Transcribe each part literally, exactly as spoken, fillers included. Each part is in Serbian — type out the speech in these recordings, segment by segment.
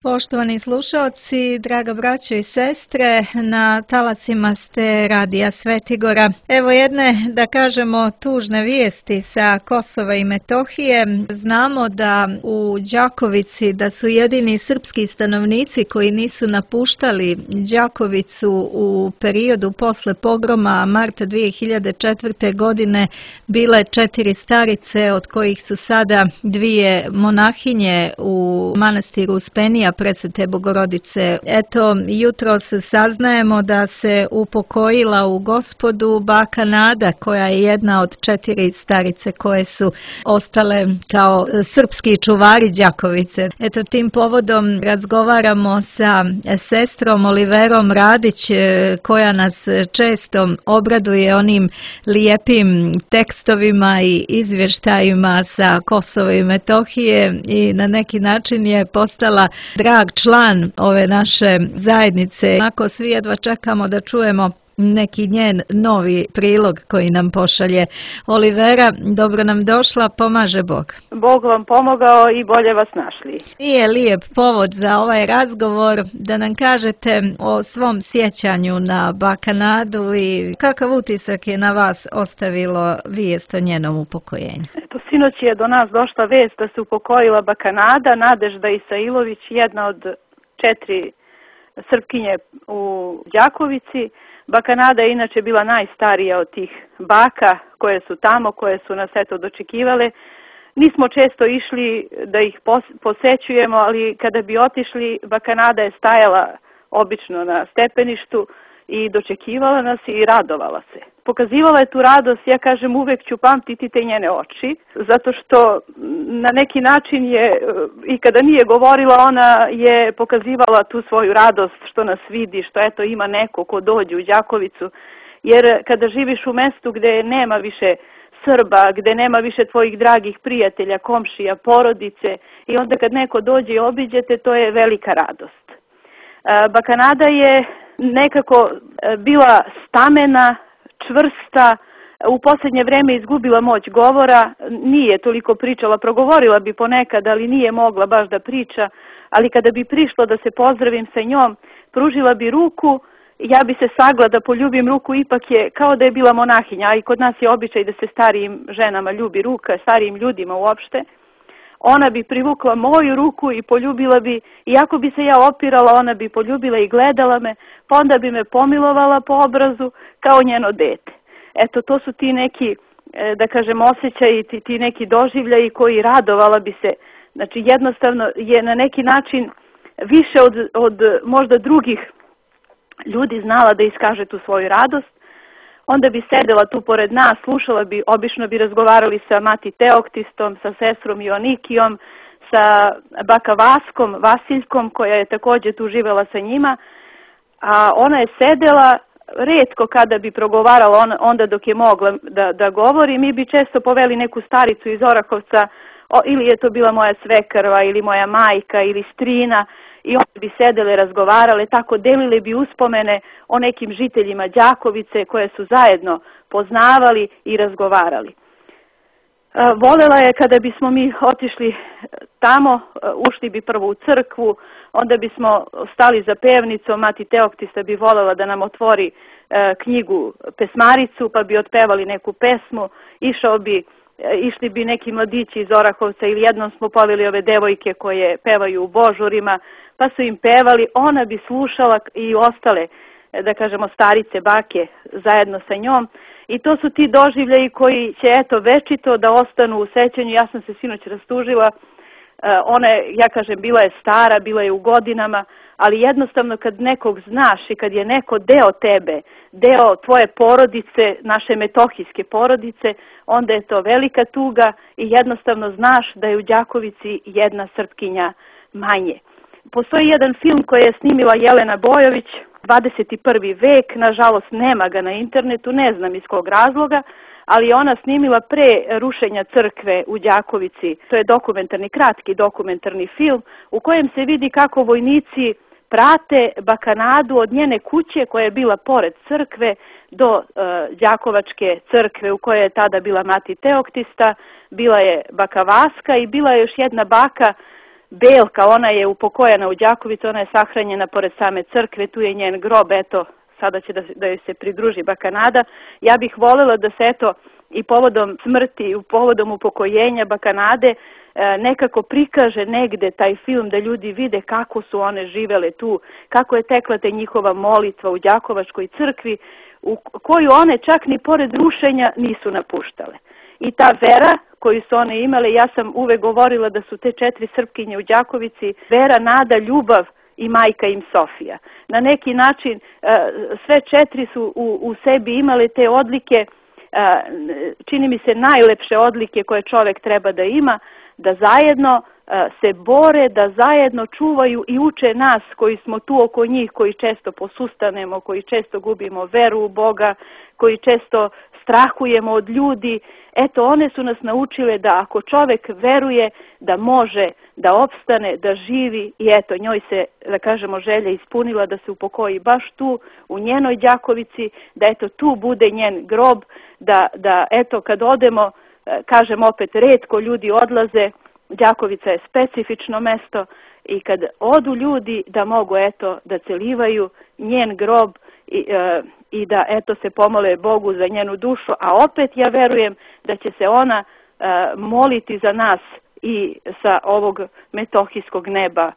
Poštovani slušaoci, draga braćo i sestre, na talasima ste Radija Svetigora. Evo jedne, da kažemo, tužne vijesti sa Kosova i Metohije. Znamo da u Đakovici da su jedini srpski stanovnici koji nisu napuštali Đakovicu u periodu posle pogroma marta dvije hiljade četvrte. godine bile četiri starice, od kojih su sada dvije monahinje u manastiru Uspenija Presvete Bogorodice. Eto, jutros saznajemo da se upokojila u Gospodu baka Nada, koja je jedna od četiri starice koje su ostale kao srpski čuvari Đakovice. Eto, tim povodom razgovaramo sa sestrom Oliverom Radić, koja nas često obraduje onim lijepim tekstovima i izvještajima sa Kosova i Metohije i na neki način je postala drag član ove naše zajednice. Ako svi jedva čekamo da čujemo neki njen novi prilog koji nam pošalje. Olivera, dobro nam došla, pomaže Bog. Bog vam pomogao i bolje vas našli. Nije lijep povod za ovaj razgovor da nam kažete o svom sjećanju na baka Nadu i kakav utisak je na vas ostavilo vijest o njenom upokojenju. Eto, sinoć je do nas došla vijest da se upokojila baka Nada, Nadežda Isailović, jedna od četiri Srpkinje u Đakovici. Baka Nada je inače bila najstarija od tih baka koje su tamo, koje su nas eto dočekivale. Nismo često išli da ih posećujemo, ali kada bi otišli, baka Nada je stajala obično na stepeništu i dočekivala nas i radovala se. Pokazivala je tu radost, ja kažem, uvek ću pamtiti te njene oči, zato što na neki način je, i kada nije govorila, ona je pokazivala tu svoju radost što nas vidi, što eto ima neko ko dođe u Đakovicu, jer kada živiš u mestu gde nema više Srba, gde nema više tvojih dragih prijatelja, komšija, porodice, i onda kad neko dođe i obiđete, to je velika radost. Baka Nada je nekako bila stamena, čvrsta, u posljednje vreme izgubila moć govora, nije toliko pričala, progovorila bi ponekad, ali nije mogla baš da priča, ali kada bi prišlo da se pozdravim sa njom, pružila bi ruku, ja bi se sagla da poljubim ruku, ipak je kao da je bila monahinja, a i kod nas je običaj da se starijim ženama ljubi ruka, starijim ljudima uopšte. Ona bi privukla moju ruku i poljubila bi, iako bi se ja opirala, ona bi poljubila i gledala me, pa onda bi me pomilovala po obrazu kao njeno dete. Eto, to su ti neki, da kažem, osjećaji, ti, ti neki doživljaji koji radovala bi se. Znači, jednostavno je na neki način više od, od možda drugih ljudi znala da iskaže tu svoju radost. Onda bi sedela tu pored nas, slušala bi, obično bi razgovarali sa mati Teoktistom, sa sestrom Ionikijom, sa baka Vaskom, Vasiljkom, koja je također tu živela sa njima, a ona je sedela, retko kada bi progovarala onda dok je mogla da, da govori, mi bi često poveli neku staricu iz Orahovca, o, ili je to bila moja svekrva, ili moja majka, ili strina, i one bi sedele, razgovarale, tako delile bi uspomene o nekim žiteljima Đakovice koje su zajedno poznavali i razgovarali. Volela je kada bismo mi otišli tamo, ušli bi prvo u crkvu, onda bismo stali za pevnicom, mati Teoktista bi volela da nam otvori knjigu pesmaricu, pa bi otpevali neku pesmu, išao bi Išli bi neki mladići iz Orahovca ili jednom smo poveli ove devojke koje pevaju u božurima, pa su im pevali, ona bi slušala i ostale, da kažemo, starice, bake zajedno sa njom. I to su ti doživljaji koji će, eto, večito da ostanu u sećanju. Ja sam se sinoć rastužila, ona je, ja kažem, bila je stara, bila je u godinama, ali jednostavno kad nekog znaš i kad je neko deo tebe, deo tvoje porodice, naše metohijske porodice, onda je to velika tuga i jednostavno znaš da je u Đakovici jedna Srpkinja manje. Postoji jedan film koji je snimila Jelena Bojović, dvadeset prvi vek, nažalost nema ga na internetu, ne znam iz kog razloga, ali je ona snimila pre rušenja crkve u Đakovici. To je dokumentarni, kratki dokumentarni film u kojem se vidi kako vojnici prate baka Nadu od njene kuće koja je bila pored crkve do uh, Đakovačke crkve u kojoj je tada bila mati Teoktista, bila je baka Vaska i bila je još jedna baka Belka, ona je upokojena u Đakovici, ona je sahranjena pored same crkve, tu je njen grob, eto, sada će da, da joj se pridruži baka Nada. Ja bih voljela da se, eto, i povodom smrti, i povodom upokojenja baka Nade, nekako prikaže negde taj film da ljudi vide kako su one živele tu, kako je tekla te njihova molitva u Đakovačkoj crkvi, u koju one čak ni pored rušenja nisu napuštale. I ta vera koju su one imale, ja sam uvek govorila da su te četiri Srpkinje u Đakovici vera, nada, ljubav i majka im Sofija. Na neki način sve četiri su u, u sebi imale te odlike, čini mi se najlepše odlike koje čovek treba da ima, da zajedno se bore, da zajedno čuvaju i uče nas koji smo tu oko njih, koji često posustanemo, koji često gubimo veru u Boga, koji često strahujemo od ljudi. Eto, one su nas naučile da ako čovek veruje da može da opstane, da živi, i eto, njoj se, da kažemo, želja ispunila da se upokoji baš tu, u njenoj Đakovici, da eto tu bude njen grob, da, da eto kad odemo, kažem opet, retko ljudi odlaze, Đakovica je specifično mesto i kad odu ljudi da mogu eto da celivaju njen grob i, e, i da eto se pomole Bogu za njenu dušu, a opet ja verujem da će se ona e, moliti za nas i sa ovog metohijskog neba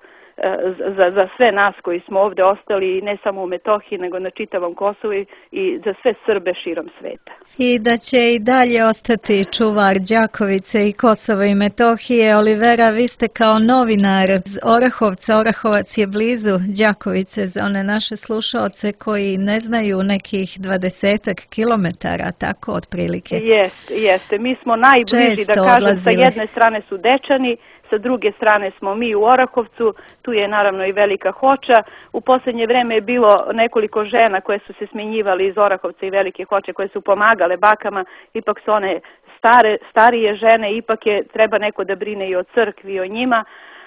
za, za sve nas koji smo ovde ostali, ne samo u Metohiji, nego na čitavom Kosovu i za sve Srbe širom sveta. I da će i dalje ostati čuvar Đakovice i Kosova i Metohije. Olivera, vi ste kao novinar iz Orahovca, Orahovac je blizu Đakovice, za one naše slušaoce koji ne znaju, nekih dvadesetak kilometara, tako otprilike. Jeste, jeste. Mi smo najbliži, Često da kažem, odlazili. sa jedne strane su Dečani, sa druge strane smo mi u Orahovcu, tu je naravno i Velika Hoča. U posljednje vreme je bilo nekoliko žena koje su se smenjivali iz Orahovca i Velike Hoče, koje su pomagale bakama, ipak su one stare, starije žene, ipak je treba neko da brine i o crkvi i o njima.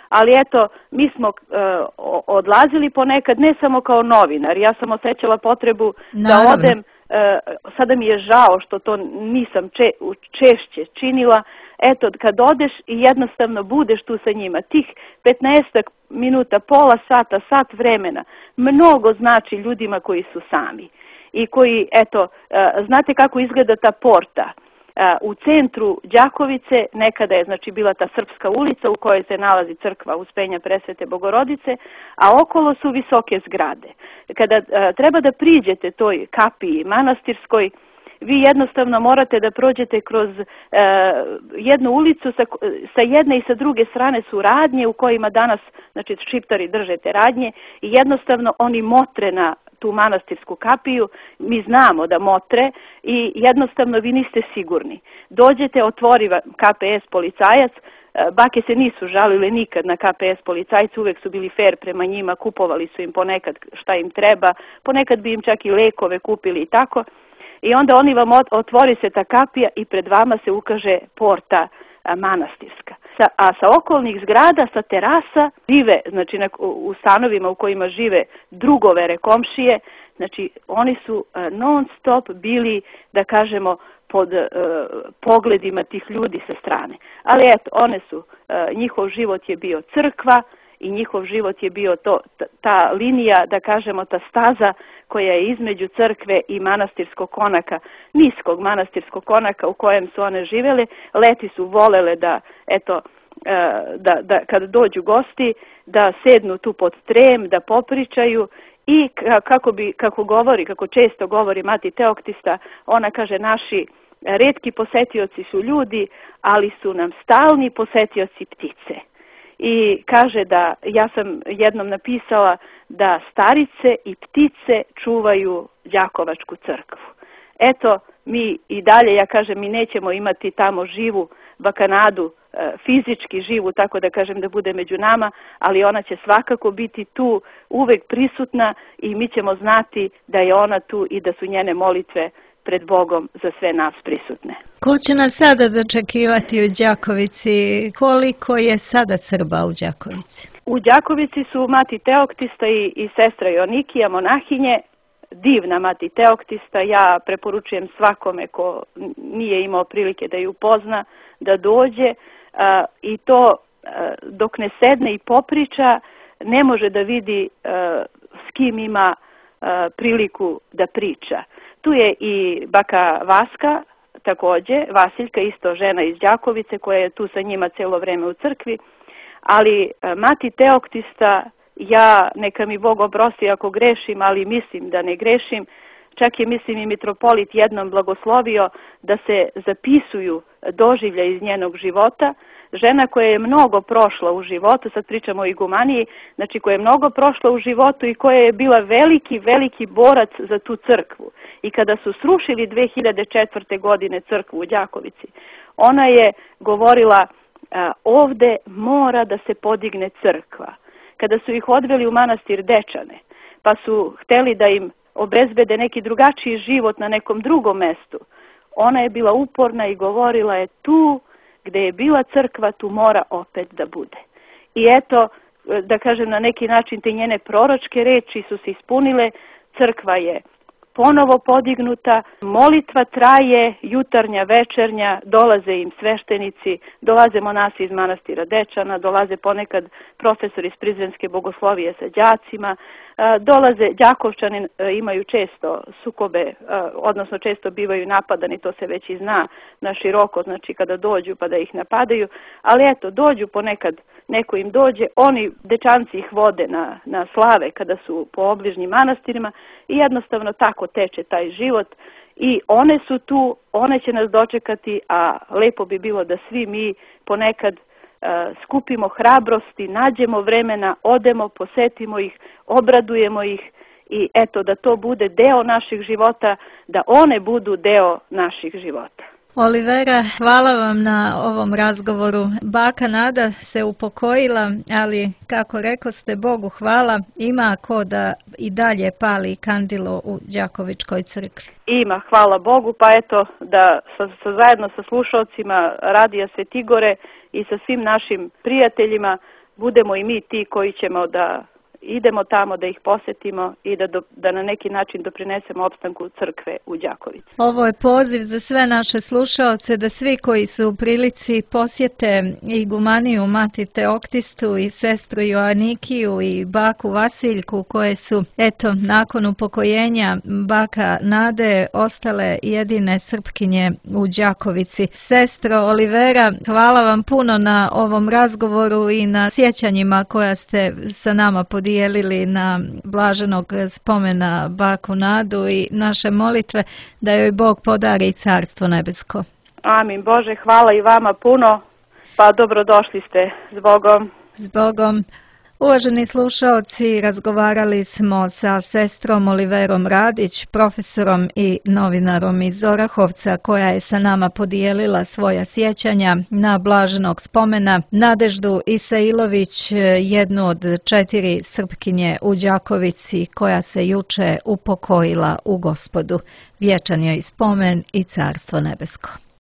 Ali eto, mi smo uh, odlazili ponekad, ne samo kao novinar, ja sam osjećala potrebu Naravno. da odem, uh, sada mi je žao što to nisam če, češće činila. Eto, kad odeš i jednostavno budeš tu sa njima, tih petnaestak minuta, pola sata, sat vremena, mnogo znači ljudima koji su sami. I koji, eto, znate kako izgleda ta porta. U centru Đakovice nekada je znači bila ta Srpska ulica u kojoj se nalazi crkva Uspenja Presvete Bogorodice, a okolo su visoke zgrade. Kada treba da priđete toj kapiji manastirskoj, vi jednostavno morate da prođete kroz e, jednu ulicu, sa, sa jedne i sa druge strane su radnje u kojima danas, znači, šiptari drže te radnje i jednostavno oni motre na tu manastirsku kapiju, mi znamo da motre i jednostavno vi niste sigurni. Dođete, otvori K P S policajac, bake se nisu žalile nikad na K P S policajci, uvek su bili fair prema njima, kupovali su im ponekad šta im treba, ponekad bi im čak i lekove kupili i tako. I onda oni vam otvori se ta kapija i pred vama se ukaže porta manastirska. Sa, a sa okolnih zgrada, sa terasa, žive, znači na, u stanovima u kojima žive drugovere, komšije, znači oni su non stop bili, da kažemo, pod uh, pogledima tih ljudi sa strane. Ali eto, one su, uh, njihov život je bio crkva i njihov život je bio to, ta, ta linija, da kažemo, ta staza koja je između crkve i manastirskog konaka, niskog manastirskog konaka u kojem su one živele. Leti su volele da, eto, da, da kad dođu gosti, da sednu tu pod trem, da popričaju i kako bi, kako govori, kako često govori mati Teoktista, ona kaže, naši retki posetioci su ljudi, ali su nam stalni posetioci ptice. I kaže da, ja sam jednom napisala da starice i ptice čuvaju Đakovačku crkvu. Eto, mi i dalje, ja kažem, mi nećemo imati tamo živu baka Nadu, fizički živu, tako da kažem, da bude među nama, ali ona će svakako biti tu, uvek prisutna i mi ćemo znati da je ona tu i da su njene molitve pred Bogom za sve nas prisutne. Ko će nas sada dočekivati u Đakovici? Koliko je sada Srba u Đakovici? U Đakovici su mati Teoktista i, i sestra Jonikija, monahinje, divna mati Teoktista. Ja preporučujem svakome ko nije imao prilike da ju pozna, da dođe. A, i to dok ne sedne i popriča, ne može da vidi s kim ima priliku da priča. Tu je i baka Vaska, takođe, Vasiljka, isto žena iz Đakovice, koja je tu sa njima celo vreme u crkvi, ali mati Teoktista, ja, neka mi Bog oprosti ako grešim, ali mislim da ne grešim, čak je, mislim, i mitropolit jednom blagoslovio da se zapisuju doživlja iz njenog života. Žena koja je mnogo prošla u životu, sad pričamo o igumaniji, znači koja je mnogo prošla u životu i koja je bila veliki, veliki borac za tu crkvu. I kada su srušili dve hiljade četvrte. godine crkvu u Đakovici, ona je govorila ovde mora da se podigne crkva. Kada su ih odveli u manastir Dečane, pa su hteli da im obezbede neki drugačiji život na nekom drugom mestu, ona je bila uporna i govorila je tu gde je bila crkva, tu mora opet da bude. I eto, da kažem, na neki način te njene proročke reči su se ispunile, crkva je ponovo podignuta, molitva traje, jutarnja, večernja, dolaze im sveštenici, dolaze monasi iz manastira Dečana, dolaze ponekad profesori iz Prizrenske bogoslovije sa đacima, dolaze, Đakovčani imaju često sukobe, odnosno često bivaju napadani, to se već i zna na široko, znači kada dođu pa da ih napadaju, ali eto, dođu ponekad, neko im dođe, oni, Dečanci ih vode na, na slave kada su po obližnjim manastirima i jednostavno tako teče taj život i one su tu, one će nas dočekati, a lepo bi bilo da svi mi ponekad skupimo hrabrosti, nađemo vremena, odemo, posetimo ih, obradujemo ih i eto da to bude deo naših života, da one budu deo naših života. Olivera, hvala vam na ovom razgovoru. Baka Nada se upokojila, ali kako rekoste, Bogu hvala, ima ko da i dalje pali kandilo u Đakovičkoj crkvi. Ima, hvala Bogu, pa eto da sa, sa, zajedno sa slušalcima Radija Svetigore i sa svim našim prijateljima budemo i mi ti koji ćemo da idemo tamo, da ih posetimo i da, do, da na neki način doprinesemo opstanku crkve u Đakovici. Ovo je poziv za sve naše slušaoce da svi koji su u prilici posjete igumaniju Mati Teoktistu i sestru Joanikiju i baku Vasiljku, koje su, eto, nakon upokojenja baka Nade ostale jedine Srpkinje u Đakovici. Sestro Olivera, hvala vam puno na ovom razgovoru i na sjećanjima koja ste sa nama podijelili na blaženog spomena baku Nadu i naše molitve da joj Bog podari carstvo nebesko. Amin. Bože, hvala i vama puno, pa dobrodošli ste. S Bogom. S Bogom. Uvaženi slušaoci, razgovarali smo sa sestrom Oliverom Radić, profesorom i novinarom iz Orahovca, koja je sa nama podijelila svoja sjećanja na blaženog spomena Nadeždu Isailović, jednu od četiri Srpkinje u Đakovici, koja se juče upokojila u Gospodu. Vječan joj spomen i carstvo nebesko.